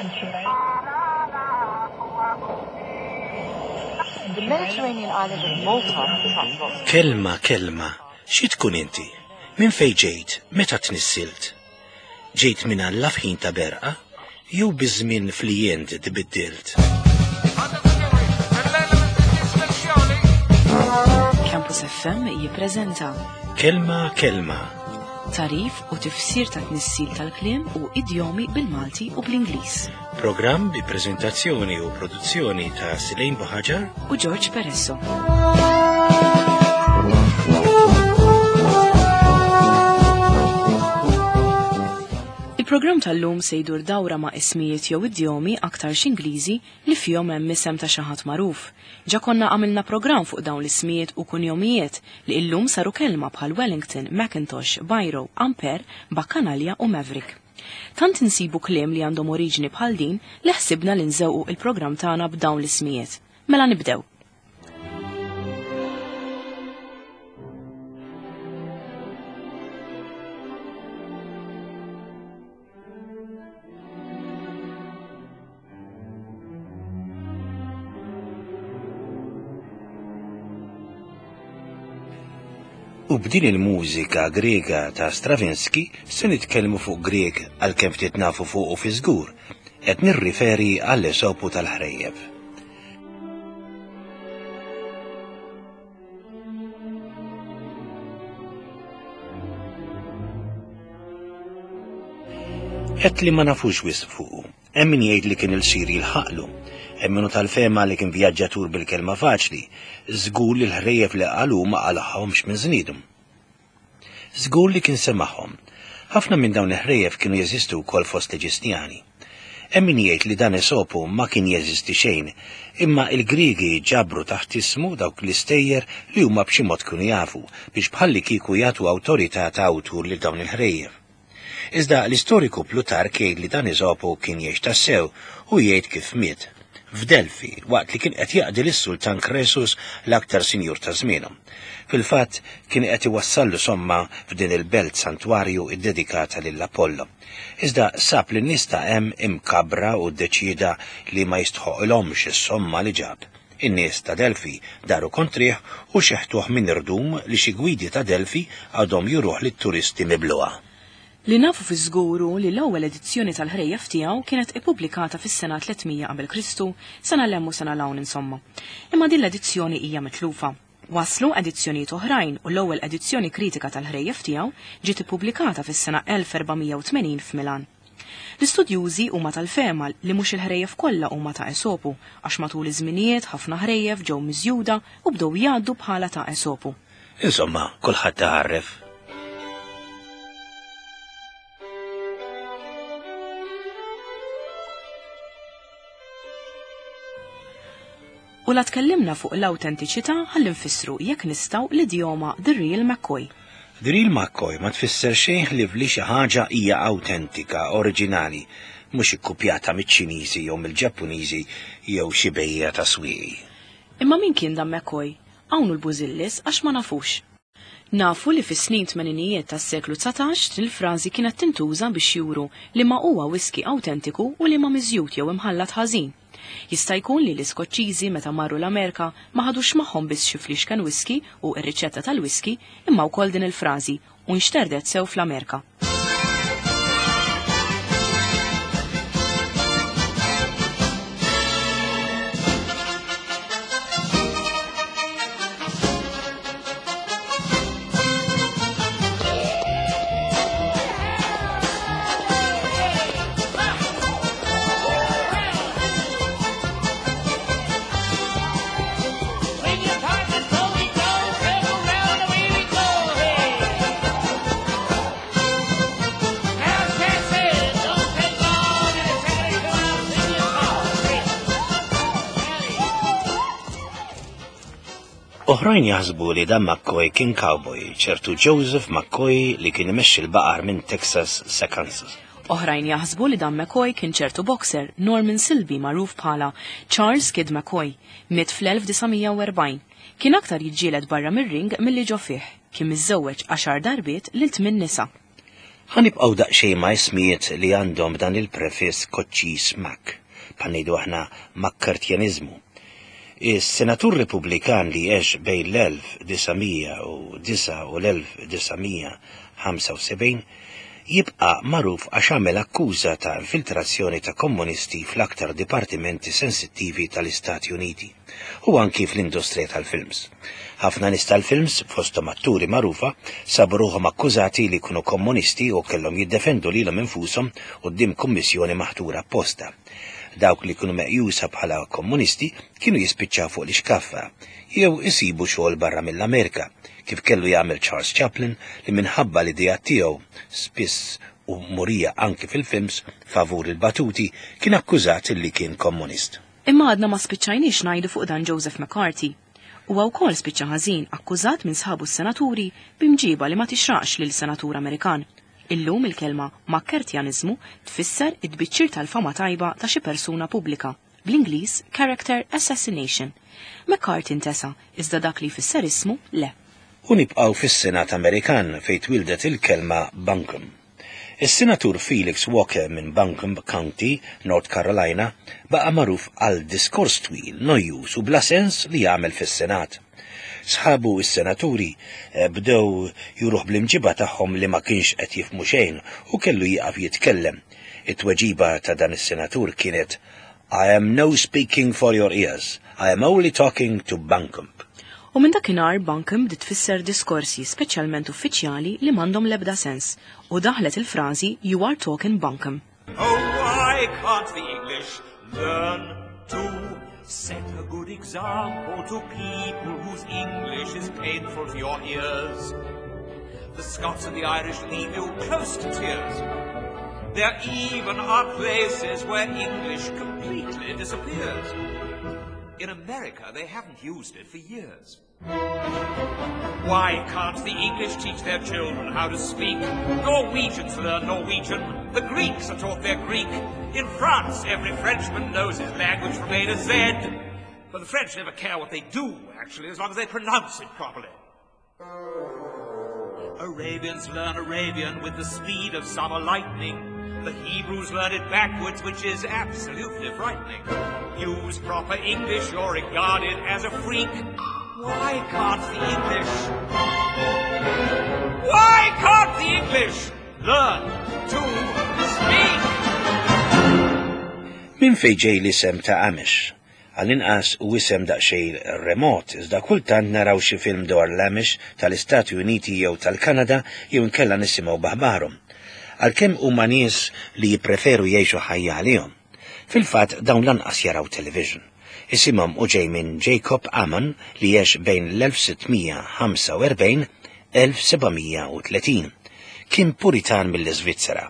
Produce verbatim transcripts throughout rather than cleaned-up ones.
The Mediterranean island of Malta attracts lots of Kelma, kelma, xi tkun inti? Minn fejn ġejt? Meta tnissilt? Ġejt minn Alla f'ħin ta' berqa? Jew biż-żmien flijent tbiddilt? Campus F M jippreżenta Kelma, kelma, tagħrif u tifsir ta' tnissil tal-kliem u idjomi bil-Malti u bl-Ingliż. Programm bi preżentazzjoni u produzzjoni ta' Silejn Buħaġar u George Peresso. Il-programm tal-lum se jdur dawra ma' ismijiet jew idjomi aktar Ingliżi li fihom hemm isem ta' xi ħadd magħruf. Ġa konna għamilna programm fuq dawn l-ismijiet u kunjomijiet li illum saru kelma bħal Wellington, Macintosh, Biro, Ampere, Bacchanalia u Maverick. Tant insibu kliem li għandhom oriġini bħal din li ħsibna li nżewqu il-programm tagħna b'dawn l-ismijiet. Mela nibdew. U b'din il-mużika Grega ta' Stravinsky se nitkellmu fuq Grek għalkemm ftit nafu fuqu fi żgur, qed nirriferi għall-Esopu tal-ħrejjef. Qed li ma nafux wisq fuqu. Hemm min jgħid li kien ilsir jilħaqlu. Hemm min hu tal-fehma li kien vjaġġatur bil-kelma faċli. Żgur li l-ħrejjef li qalu ma qalahomx minn żniedhom. Żgur li kien semagħhom. Ħafna minn dawn il-ħrejjef kienu jeżistu wkoll fost l-Eġistjani. Hemm min jgħid li dan Esopu ma kien jeżisti xejn, imma il-Griegi ġabru taħt ismu dawk l-istejjer li huma b'xi mod kienu jafu biex bħalli kieku jagħtu awtorità ta' awtur lil dawn il-ħrejjef. Iżda l-istoriku Plutark jgħid li dan Esopu kien jgħix tassew u jgħid kif miet f'Delfi waqt li kien qed jaqdi lis-Sultan Kresus, l-aktar sinjur ta' żmienu. Fil-fatt kien qed iwassallu somma f'din il-belt santwarju iddedikata lil Apollo. Iżda sab li n-nies ta' hemm imkabra u ddeċieda li ma jistħoqilhomx is-somma li ġab. In-nies ta' Delfi daru kontrih u xeħtuh minn irdum li xi gwidi ta' Delfi għadhom juruh lit-turisti mibluha. Li nafu fi żguru li l-ewwel edizzjoni tal-ħrejjef tiegħu kienet ippubblikata fis-sena tliet mija qabel Kristu, sena 'l hemm u sena 'l hawn insomma. Imma din l-edizzjoni hija mitlufa. Waslu edizzjonijiet oħrajn u l-ewwel edizzjoni kritika tal-ħrejjef tiegħu ġiet ippubblikata fis-sena elf erba' mija u tmenin f'Milan. L-istudjużi huma tal-fehma li mhux il-ħrejjef kollha huma ta' Esopu, għax matul iż-żminijiet ħafna ħrejjef ġew miżjuda u bdew jgħaddu bħala ta' Esopu. Insomma, kulħadd taħarref. U la tkellimna fuq l-awtentiċità, ħalli nfissru jekk nistgħu l-idjoma "The Real McCoy". The Real McCoy ma tfisser xejn li li xi ħaġa hija awtentika, oriġinali, mhux ikkupjata miċ-Ċiniżi jew mill-Ġappuniżi jew xi bejja ta' swieqi. Imma min kien dan McCoy? Hawn l-bużillis għax ma nafux. Nafu li fis-snin tmeninijiet tas-seklu dsatax din il-frażi kienet tintuża biex juru li ma huwa whisky awtentiku u li ma miżjud jew imħallat ħażin. Jista' jkun li l-Iskoċċiżi meta marru l-Amerika ma ħadux magħhom biss xi flixken whisky u r-riċetta tal-whisky, imma wkoll din il-frażi, u nxterdet sew fl-Amerika. Swing your partner, so we go, circle round the way we go, hey. Now Cassie, don't take long, and it's ready to come out, sing your song, hey. Oħrajn jaħsbu li dan McCoy kien cowboy, ċertu Joseph McCoy li kien imexxi l-baqar minn Texas sa Kansas. Oħrajn jaħsbu li dan McCoy kien ċertu boxer, Norman Silby, magħruf bħala Charles Kid McCoy, miet fl-elf disa' mija u erbgħin. Kien aktar jiġġieled barra mir-ring milli ġo fih. Kien miżżewweġ għaxar darbiet lil tmien nisa. Ħa nibqgħu daqsxejn ma' ismijiet li għandhom dan il-prefiss koċċis Mac, bħal ngħidu aħna Makkartjaniżmu. Is-senatur Repubblikan li għex bejn l-elf disa' mija u disgħa u l-elf disa' mija ħamsa u sebgħin jibqa' magħruf għax għamel akkuża ta' infiltrazzjoni ta' komunisti fl-aktar dipartimenti sensittivi tal-Istati Uniti u anki fl-industrija tal-films. Ħafna nies tal-films, fosthom atturi magħrufa, sabu ruħhom akkużati li kienu komunisti u kellhom jiddefendu lilhom infushom quddiem kummissjoni maħtura apposta. Dawk li kienu meqjusa bħala komunisti kienu jispiċċaw fuq l-ixkaffa jew isibu xogħol barra mill-Amerika, kif kellu jagħmel Charles Chaplin li minħabba l-idea tiegħu spiss u murija anki fil-films favur il-batuti kien akkużat li kien komunist. Imma għadna ma spiċċajniex ngħidu fuq dan Joseph McCarthy. Huwa wkoll spiċċa ħażin akkużat minn sħabu s-senaturi b'imġiba li ma tixraqx lil senatur Amerikan. Illum il-kelma Makkertjaniżmu tfisser id-tbiċċir tal-fama tajba ta' xi persuna pubblika, bl-Ingliż character assassination. McCarthy intesa, iżda dak li jfisser ismu le. U nibqgħu fis-Senat Amerikan fejn twildet il-kelma Bunkum. Is-Senatur Felix Walker minn Buncombe County, North Carolina, baqa' magħruf għal diskors twil, nojjuż u bla sens li jagħmel fis-Senat. Sħabu s-senaturi, eh, bdew juruh bl-imġiba tagħhom li ma kienx qed jifhmu xejn u kellu jieqaf jitkellem. It-tweġiba ta' dan is-senatur kienet I am no speaking for your ears, I am only talking to Buncombe. U minn dakinhar Buncombe bdiet tfisser diskorsi speċjalment uffiċjali li m'għandhom l-ebda sens u daħlet il-frażi You are talking Buncombe. Oh, why can't the English learn to set a good example to people whose English is painful to your ears? The Scots and the Irish leave you close to tears. There even are places where English completely disappears. In America, they haven't used it for years. Why can't the English teach their children how to speak? Norwegians learn Norwegian. The Greeks are taught their Greek. In France, every Frenchman knows his language from A to Z. But the French never care what they do, actually, as long as they pronounce it properly. Arabians learn Arabian with the speed of summer lightning. The Hebrews learn it backwards, which is absolutely frightening. Use proper English, you're regarded as a freak. Why can't the English? Why can't the English learn to speak? Min fejn ġej l-isem ta' Amish? Għall-inqas u isem daqsxejn remot, iżda kultant naraw xi film dwar l-Amish tal-Istati Uniti jew tal-Kanada jew inkella nisimgħu b'aħbarhom. Għalkemm huma nies li jippreferu jgħixu ħajja għalihom. Fil-fatt dawn lanqas jaraw television. Isimhom u ġej minn Jacob Amon li għex bejn l-elf sittmija ħamsa u erbgħin elf sebgħamija u tletin. Kien Puritan mill-Iżvizzera.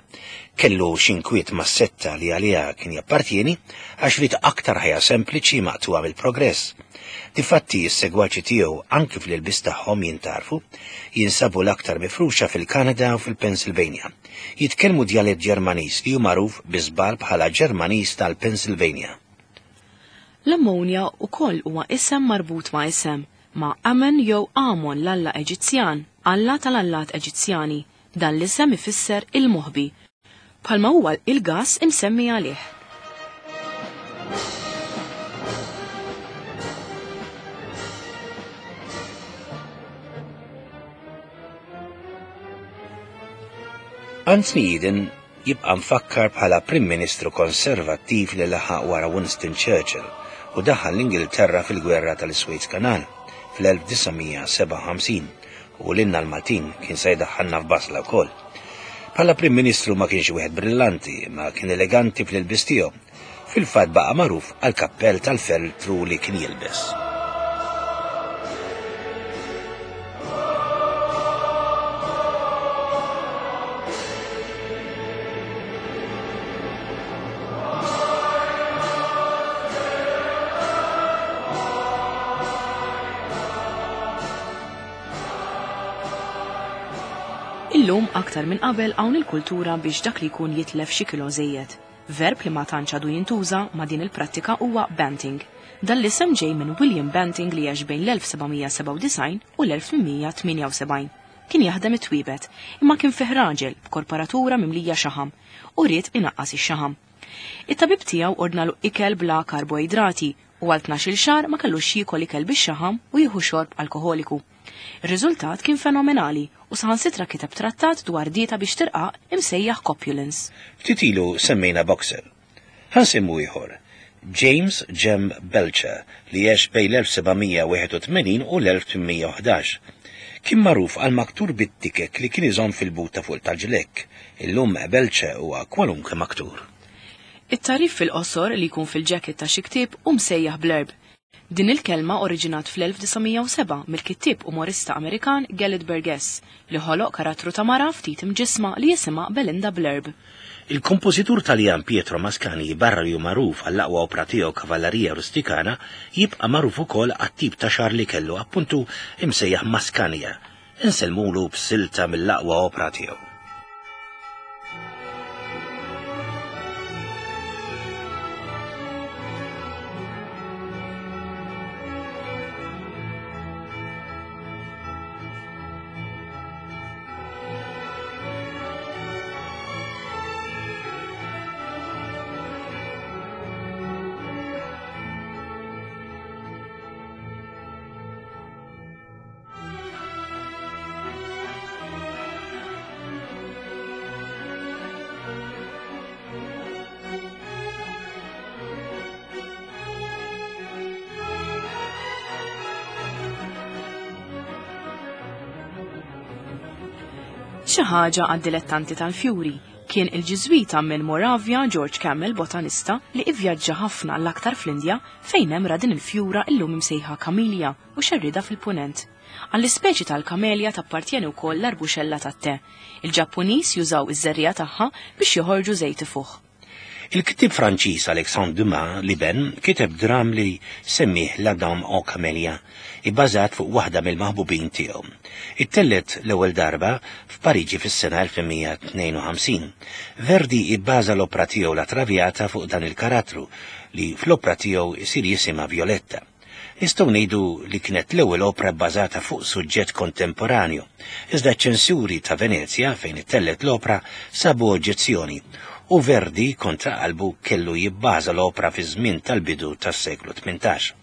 Kellu xinkwiet mas-setta li għaliha kien jappartieni għax rid aktar ħajja sempliċi maqtuha mill-progress. Difatti s-segwaċi tiegħu anki fl-ilbis tagħhom jintarfu, jinsabu l-aktar mifruxa fil-Kanada u fil-Pennsylvania. Jitkellmu djalett Ġermaniż li hu magħruf bi żball bħala Ġermaniż tal-Pennsylvania. L-ammonja wkoll huwa isem marbut ma' isem, ma' Amen jew Amon l-Alla Eġizzjan, Alla tal-Allat Eġizzjani. Dan l-isem ifisser il-moħbi, bħalma huwa il-gas imsemmi għalih. Anthony Eden jibqa' mfakkar bħala Prim Ministru Konservattiv li laħaq wara Winston Churchill u daħal l-Ingilterra fil-gwerra tal-Suez Canal fl-elf disa' mija sebgħa u ħamsin u lilna l-Maltin kien se jdaħħalna f'basla wkoll. Bħala Prim Ministru ma kienx wieħed brillanti, ma kien eleganti fl-ilbis tiegħu. Fil-fatt baqa' magħruf għal kappell tal-feltru li kien jilbes. Illum aktar minn qabel hawn il-kultura biex dak li jkun jitlef xi kilo żejjed. Verb li ma tantx għadu jintuża ma' din il-prattika huwa banting. Dan l-isem ġej minn William Banting li għex bejn l-elf sebgħamija sebgħa u disgħin u l-elf tmienmija tmienja u sebgħin. Kien jaħdem it-twiebet, imma kien fih raġel b'korporatura mimlija xaħam u ried inaqqas ix-xaħam. It-tabib tiegħu ordnalu ikel bla karboidrati u għal tnax-il xahar ma kellux jiekol ikel bix-xaħam u jieħu xorb alkoħoliku. Ir-riżultat kien fenomenali u saħansitra kiteb trattat dwar dieta biex tirqaq imsejjaħ Copulence. Ftit ilu semmejna boxer. Ħa nsemmu ieħor. James Jem Belcher li għex bejn l-elf sebgħamija wieħed u tmenin u l-elf tmienmija u ħdax. Kien magħruf għal maktur bit-tikek li kien iżomm fil-but ta' fuq tal-ġlekk. Illum Belcher huwa kwalunkwe maktur. It-tarif fil-qosor li jkun fil-ġaket ta' xi ktieb hu msejjaħ blurb. Din il-kelma oriġinat fl-elf disa' mija u sebgħa mill-kittieb umorista Amerikan Gelett Burgess li ħoloq karattru ta' mara ftit imġisma li jisimha Belinda Blurb. Il-kompożitur Taljan Pietro Mascagni, barra li hu magħruf għall-aqwa opra tiegħu Cavalleria Rusticana, jibqa' magħruf ukoll għat-tip ta' xagħar li kellu appuntu imsejjaħ Mascagnia. Insellmulu b'silta mill-aqwa opra tiegħu. Xi ħaġa għad-dilettanti tal-fjuri kien il-ġiżwita minn Moravia George Campbell, botanista li ivvjaġġa ħafna l-aktar fl-Indja fejn hemm ra din il-fjura illum imsejħa kamelja u xerrida fil-punent. Għall-ispeċi tal-kamelja tappartjeni wkoll l-arbuxella tat-te. Il-Ġappuniż jużaw iż-żerriegħa tagħha biex joħorġu żejt ifuħ. Il-kittieb Franċiż Alexandre Dumas Liben kiteb dram li semmih La Dame aux Camélias, ibbażat fuq waħda mill-maħbubin tiegħu. Ittellet l-ewwel darba f'Pariġi fis-sena elf mija tnejn u ħamsin. Verdi ibbaża l-opra tiegħu La Traviata fuq dan il-karattru li fl-opra tiegħu isir jisimha Violetta. Nistgħu ngħidu li kienet l-ewwel opra bbażata fuq suġġett kontemporanju. Iżda ċ-ċensuri ta' Venezja fejn ittellet l-opra sabu oġġezzjoni u Verdi kontra qalbu kellu jibbaża l-opra fi żmien tal-bidu tas-seklu tmintax.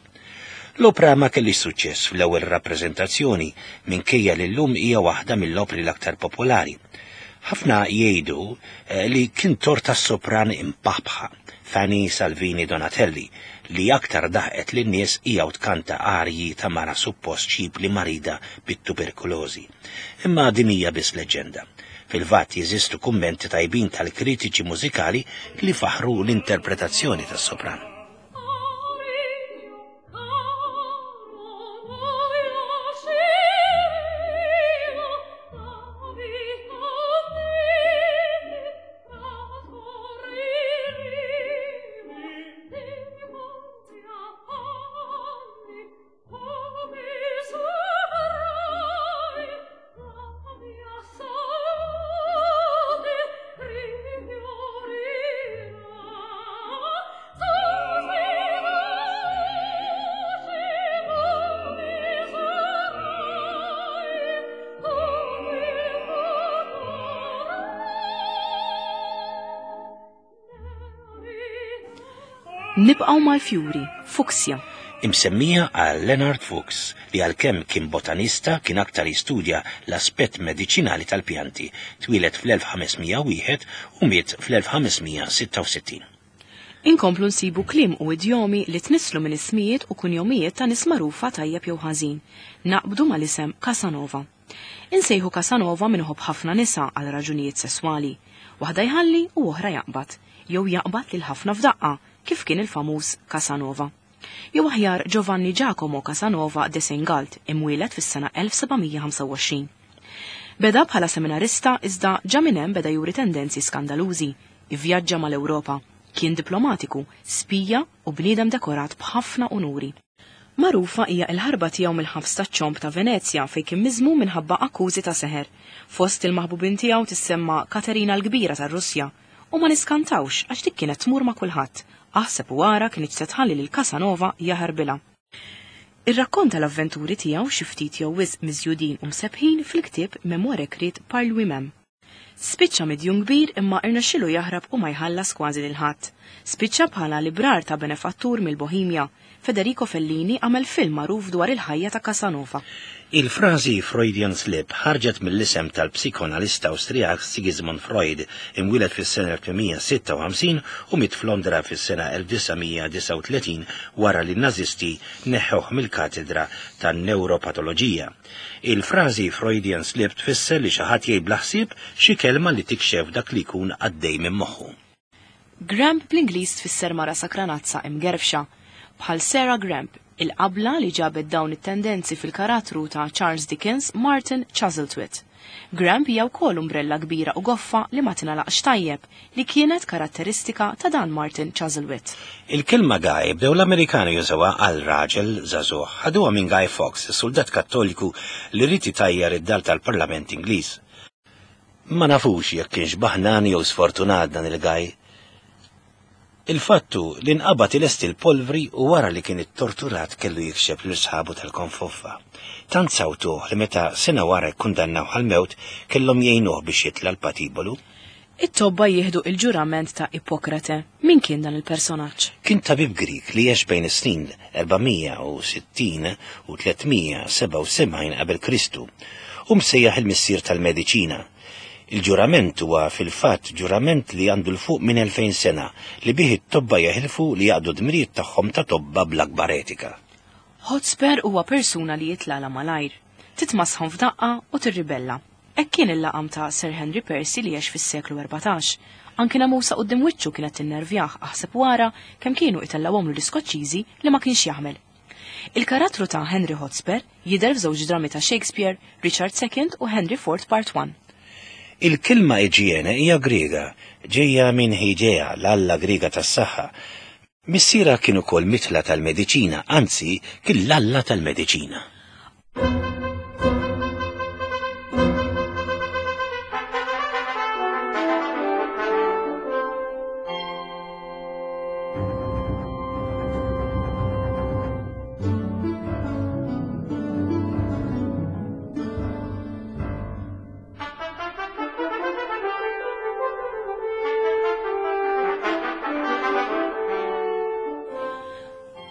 L-opra ma kellix suċċess fl-ewwel rappreżentazzjoni minkejja li llum hija waħda mill-opri l-aktar popolari. Ħafna jgħidu, eh, li kien tort tas-sopran impaħbħa Fanny Salvini Donatelli li aktar daħqet lin-nies hija u tkanta arji ta' mara suppost ċip li marida bit-tuberkulożi. Imma din hija biss leġenda. Fil-fatt jeżistu kummenti tajbin tal-kritiċi mużikali li faħru l-interpretazzjoni tas-sopran. Nibqgħu mal-fjuri, fuksja. Imsemmija għal Leonard Fuchs li għalkemm kien botanista kien aktar jistudja l-aspett mediċinali tal-pjanti, twieled fl-elf ħamesmija wieħed u miet fl-elf ħamesmija sitta u sittin. Inkomplu nsibu kliem u idjomi li tnisslu minn ismijiet u kunjomijiet ta' nies magħrufa tajjeb jew ħażin. Naqbdu mal-isem Casanova. Insejħu Casanova minħobb ħafna nisa għal raġunijiet sesswali. Waħda jħalli u oħra jaqbad, jew jaqbad lil ħafna f'daqqa, kif kien il-famuż Casanova. Jew aħjar Giovanni Giacomo Casanova de Seingalt, imwieled fis-sena elf sebgħamija ħamsa u għoxrin. Beda bħala seminarista iżda ġa minn hemm beda juri tendenzi skandalużi, ivvjaġġa mal-Ewropa, kien diplomatiku, spija u bniedem dekorat b'ħafna unuri. Magħrufa hija l-ħarba tiegħu mill-ħabs taċ-ċomb ta' Venezja fejn kien miżmum minħabba akkużi ta' seħer. Fost il-maħbubin tiegħu tissemma Katerina l-Kbira tar-Russja u ma niskantawx għax dik kienet tmur ma' kulħadd. Aħseb u ara kien se tħalli lil Casanova jaħarbilha. Irrakkonta l-avventuri tiegħu xi ftit jew wisq miżjudin u msebbħin fil-ktieb Mémoires écrites par lui-même. Spiċċa midjun kbir imma irnexxielu jaħrab u ma jħallas kważi lil ħadd. Spiċċa bħala librar ta' benefattur mill-Bohemja. Federico Fellini għamel film magħruf dwar il-ħajja ta' Casanova. Il-frażi Freudian slip ħarġet mill-isem tal-psikoanalista Awstrijak Sigismund Freud, imwieled fis-sena elf tmien mija sitta u ħamsin u miet f'Londra fis-sena elf disa' mija disgħa u tletin wara li n-Nazisti neħħuh mill-katedra tan-neuropatoloġija. Il-frażi Freudian slip tfisser li xi ħadd jgħid bla ħsieb xi kelma li tikxef dak li jkun għaddej minn moħħu. Gramp bl-Ingliż tfisser mara sakranazza imgerfxa, bħal Sarah Gramp, il-qabla li ġabet dawn it-tendenzi fil-karattru ta' Charles Dickens, Martin Chuzzlewit. Gramp hija wkoll umbrella kbira u goffa li ma tingħalaqx tajjeb, li kienet karatteristika ta' dan Martin Chuzzlewit. Il-kelma Guy bdew l-Amerikani jużawha għal raġel żagħżugħ, ħaduha minn Guy Fawkes, is-soldat Kattoliku li ried itajjar id-dar tal-Parlament Ingliż. Ma nafux jekk kienx baħnan jew sfortunat dan il-Guy. Il-fattu li nqabad ilesti l-polvri u wara li kien ittorturat kellu jikxef lil sħabu tal-konfoffa. Tant sawtuh li meta sena wara kkundannaw għall-mewt kellhom jgħinuh biex jitla' l-patibolu. It-tobba jieħdu il-ġurament ta' Ippokrate. Min kien dan il-personaġġ? Kien tabib Grik li għex bejn is-snin erba' mija u sittin u tliet mija sebgħa u sebgħin qabel Kristu u msejjaħ il-missier tal-mediċina. Il-ġurament huwa fil-fatt ġurament li għandu 'l fuq minn elfejn sena li bih it-tobba jeħilfu li jaqdu dmirijiet tagħhom ta' tobba bl-akbar etika. Hotspur huwa persuna li jitlala malajr, titmasħon f'daqqa u tirribella. Hekk kien il-laqam ta' Sir Henry Percy li għex fis-seklu erbatax. Anki namusa quddiem wiċċu kienet tinnervjah, aħseb wara kemm kienu itellgħuhomlu l-Iskoċċiżi li ma kienx jaħmel. Il-karattru ta' Henry Hotspur jidher f'żewġ drammi ta' Shakespeare, Richard the Second u Henry the Fourth Part one. Il-kelma iġiene hija Griega, ġejja minn Hygieia, l-alla Griega tas-saħħa. Missiera kien ukoll mitla tal-mediċina, anzi kien l-alla tal-mediċina.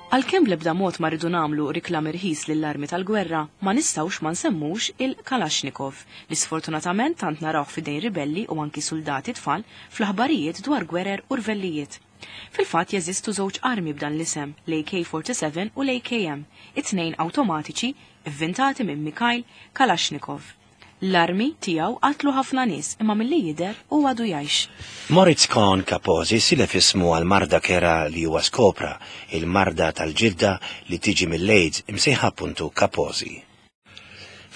Għalkemm bl-ebda mod ma rridu nagħmlu riklam irħis lill-armi tal-gwerra, ma nistgħux ma nsemmux il-Kalashnikov, li sfortunatament tant narawh f'idejn ribelli u anki soldati tfal fl-aħbarijiet dwar gwerer u rvellijiet. Fil-fatt jeżistu żewġ armi b'dan l-isem, l-A K forty-seven u l-A K M, it-tnejn awtomatiċi ivvintati minn Mikhail Kalashnikov. L-armi tiegħu qatlu ħafna nies imma milli jidher u għadu jgħix. Moritz Cohn Kaposi silef ismu għal marda kera li huwa skopra, il-marda tal-ġilda li tiġi mill-AIDS imsejħa appuntu Kaposi.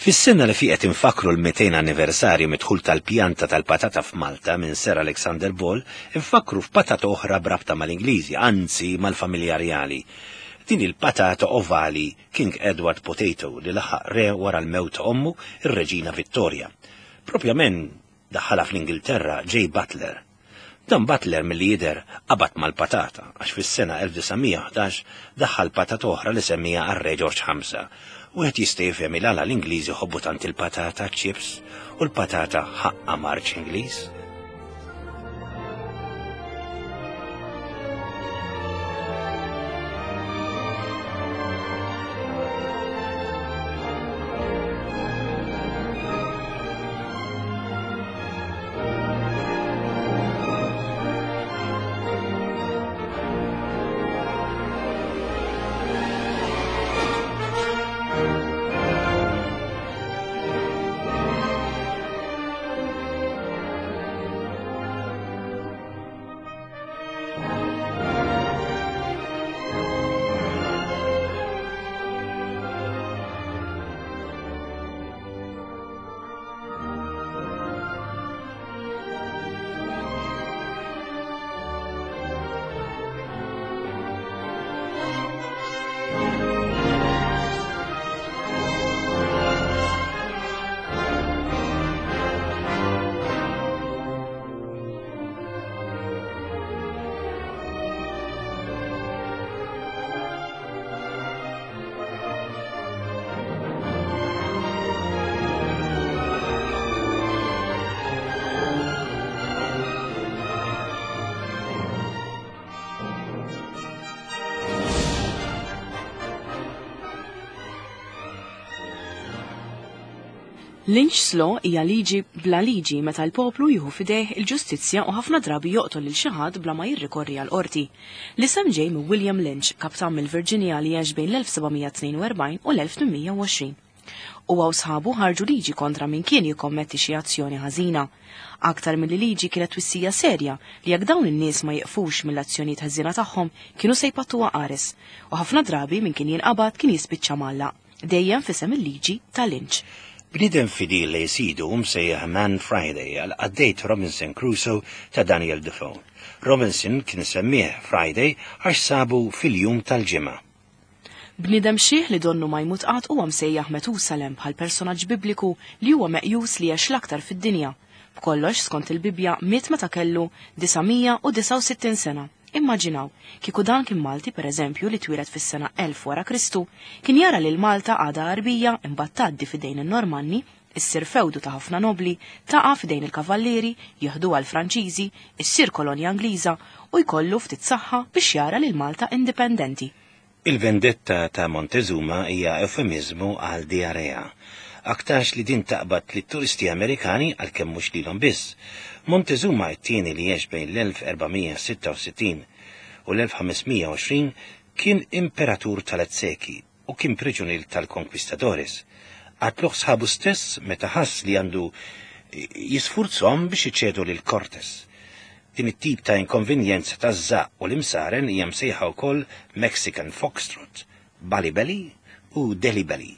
Fis-sena li fiqet infakru l-mitejn anniversarju mid-dħul tal-pjanta tal-patata f'Malta minn Sir Alexander Ball, infakru f'patata oħra brabta mal-Ingliżi, anzi mal-familja reali. Din il-patata ovali King Edward Potato li laħaq re wara l-mewt ta' ommu, ir-Reġina Vittoria. Propjament daħħalha fl-Ingilterra J. Butler. Dan Butler milli jidher qabad mal-patata, għax fis-sena elf disa' mija ħdax daħħal patata oħra li semmija għar-Re George ħamsa. Wieħed jista' jifhem il għala l-Ingliżi jħobbu tant il-patata chips u l-patata ħaqqa marċ Ingliż. Lynch's Law hija liġi bla liġi meta l-poplu jieħu f'idejh il-ġustizzja u ħafna drabi joqtol lil xi ħadd bla ma jirrikorri għal qorti. L-isem ġej minn William Lynch, kaptan mill-Virginia li għex bejn l-elf seba' mija tnejn u erbgħin u l-elf tmien mija u għoxrin. Huwa u sħabu ħarġu liġi kontra min kien jikkommetti xi azzjoni ħażina. Aktar milli liġi kienet twissija serja li jekk dawn in-nies ma jiqfux mill-azzjonijiet ħażina tagħhom kienu se jpattuha qares, u ħafna drabi min kien jinqabad kien jispiċċa mgħallaq, dejjem f'isem il-liġi ta' Lynch. Bniedem fidil li jsidu msejjaħ Man Friday għal qaddejt Robinson Crusoe ta' Daniel Defoe. Robinson kien semmih Friday għax sabu fil-jum tal-ġimgħa. Bniedem xieħ li donnu ma jmut qatt huwa msejjaħ Metusalem bħal personaġġ bibliku li huwa meqjus li għex l-aktar fid-dinja. B'kollox skont il-Bibbja miet meta kellu disa' mija u disa' u sittin sena. Immaġinaw, kieku dan kien Malti per eżempju li twieled fis-sena elf wara Kristu, kien jara lil Malta għadha Għarbija imbagħad tgħaddi f'idejn in-Normanni, issir fewdu ta' ħafna nobli, taqa' f'idejn il-Kavallieri, jieħduha l-Franċiżi, issir kolonja Ingliża u jkollu ftit saħħa biex jara lil Malta indipendenti. Il-vendetta ta' Montezuma hija eufemizmu għal diarrea. Aktarx li din taqbad lit turisti Amerikani għalkemm mhux lilhom biss. Montezuma t-tieni li għex bejn l-elf erba' mija sitta u sittin u l-elf ħames mija u għoxrin kien imperatur tal-Azzeki u kien priġunier tal-Conquistadores. Qatluh sħabu stess meta ħass li għandu jisfurzhom biex iċedu lil Cortes. Din it-tip ta' inkonvenjenza taż-żaqq u l-imsaren hija msejħa wkoll Mexican Foxtrot, Bali Belly u Delhi Belly.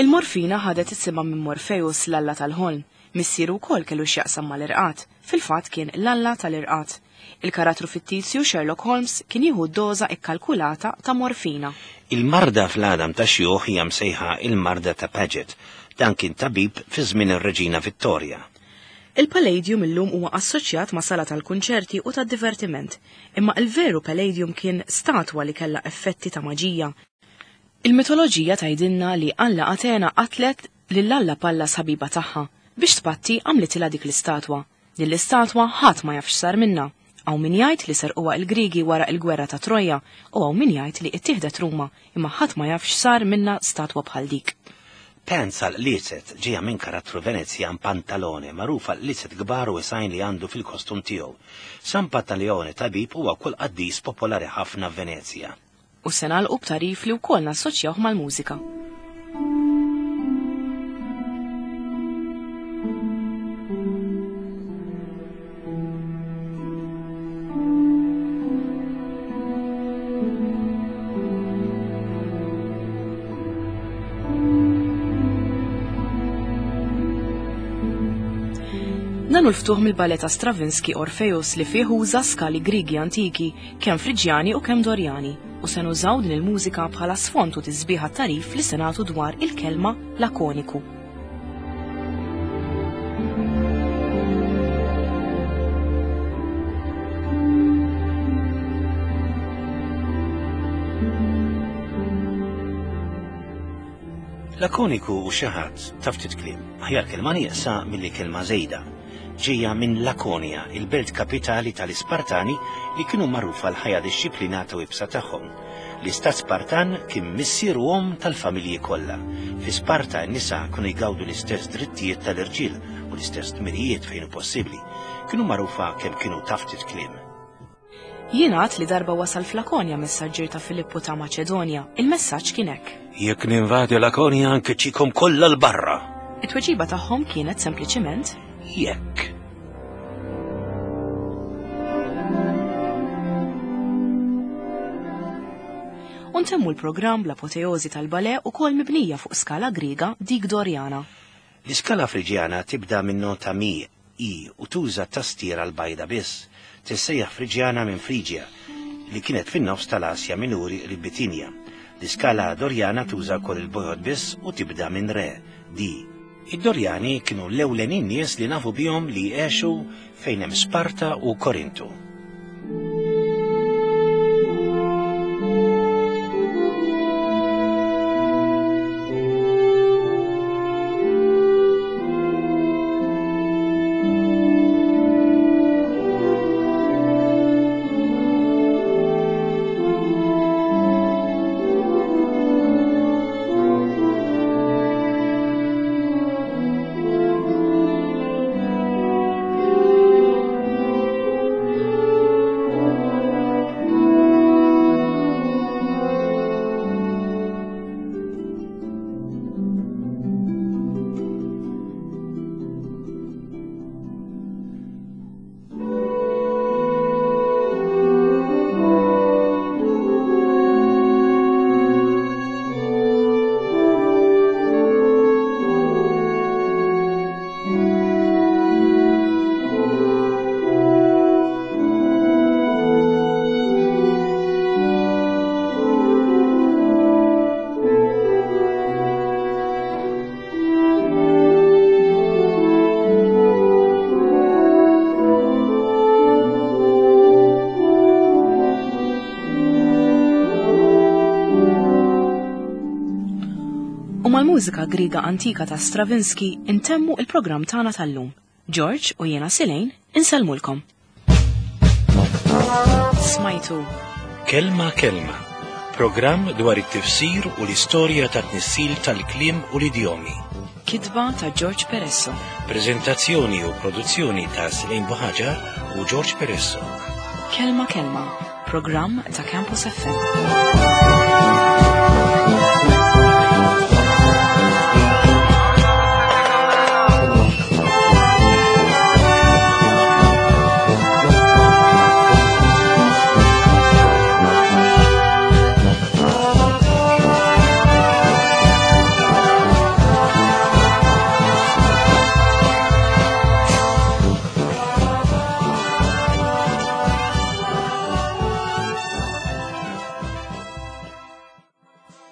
Il-morfina ħadet isimha minn Morpheus, l-alla tal-ħolm. Missieru wkoll kellu x'jaqsam mal-irqat, fil-fatt kien l-alla tal-irqat. Il-karattru fittizju Sherlock Holmes kien jieħu doża ikkalkulata ta' morfina. Il-marda fl-għadam ta' xjuħ hija msejħa il-marda ta' Paget. Dan kien tabib fi żmien ir-Reġina Vittoria. Il-Palladium illum huwa assoċjat ma' sala tal-kunċerti u tad-divertiment, imma il-veru Palladium kien statwa li kellha effetti ta' maġija. Il-mitoloġija tgħidilna li Alla Atena qatlet lil Alla Pallas ħabiba tagħha biex tpatti għamlitilha dik l-istatwa. Din l-istatwa ħadd ma jafx sar minnha. Hawn min jgħid li serquha l-Griegi wara l-gwerra ta' Troja u hawn min jgħid li ttieħdet Ruma, imma ħadd ma jafx sar minnha statwa bħal dik. Pensa l-liset ġejja minn karattru Venezjan Pantalone, magħruf għal liset kbar u isajn li għandu fil-kostum tiegħu. San Pantaleone tabib huwa kull qaddis popolari ħafna f'Venezja. U se nagħlqu b'tarif li wkoll nassoċjawh mal-mużika. Dan hu l-ftuħ mill-ballet ta' Stravinsky Orpheus li fih uża skali Griegi antiki, kemm Friġjani u kemm Dorjani, u se nużaw din il-mużika bħala sfond u tisbiħ għat-tagħrif li se nagħtu dwar il-kelma lakoniku. Lakoniku u xi ħadd taf ftit kliem, aħjar kelma nieqsa milli kelma żejda. Ġejja minn Lakonia, il-belt kapitali tal-Ispartani li kienu magħrufa l-ħajja dixxiplinata u ibsa tagħhom. L-istat Spartan kien missier u omm tal-familji kollha. Fi Sparta n-nisa kienu jgawdu l-istess drittijiet tal-irġiel u l-istess dmirijiet fejn hu possibbli. Kienu magħrufa kemm kienu ta' ftit kliem. Jingħad li darba wasal f'Lakonja messaġġier ta' Filippu ta' Maċedonja. Il-messaġġ kien hekk. Jekk ninvadi Lakonja nkeċċikom kollha 'l barra. It-tweġiba tagħhom kienet sempliċiment Jekk. U ntemmu l-programm bl-apoteożi tal-ballet ukoll mibnija fuq skala Griega dik Dorjana. L-iskala Friġjana tibda minn nota mi, I u tuża tastiera l-bajda biss. Tissejjaħ Friġjana minn Friġja li kienet fin-nofs tal-Asja Minuri qrib Bitinja. L-iskala Dorjana tuża wkoll il-bojod biss u tibda minn re, D. Id-Dorjani kienu l-ewlenin nies li nafu bihom li għexu fejn hemm Sparta u Korintu. U mal-mużika Griega antika ta' Stravinsky intemmu il-programm tagħna tal-lum. George u jiena Silejn insellmulkom. Smajtu Kelma Kelma, programm dwar it-tifsir u l-istorja ta' tnissil tal-kliem u l-idjomi. Kitba ta' George Peresso. Prezentazzjoni u produzzjoni ta' Silejn Buħaġar u George Peresso. Kelma Kelma, programm ta' Campus F M.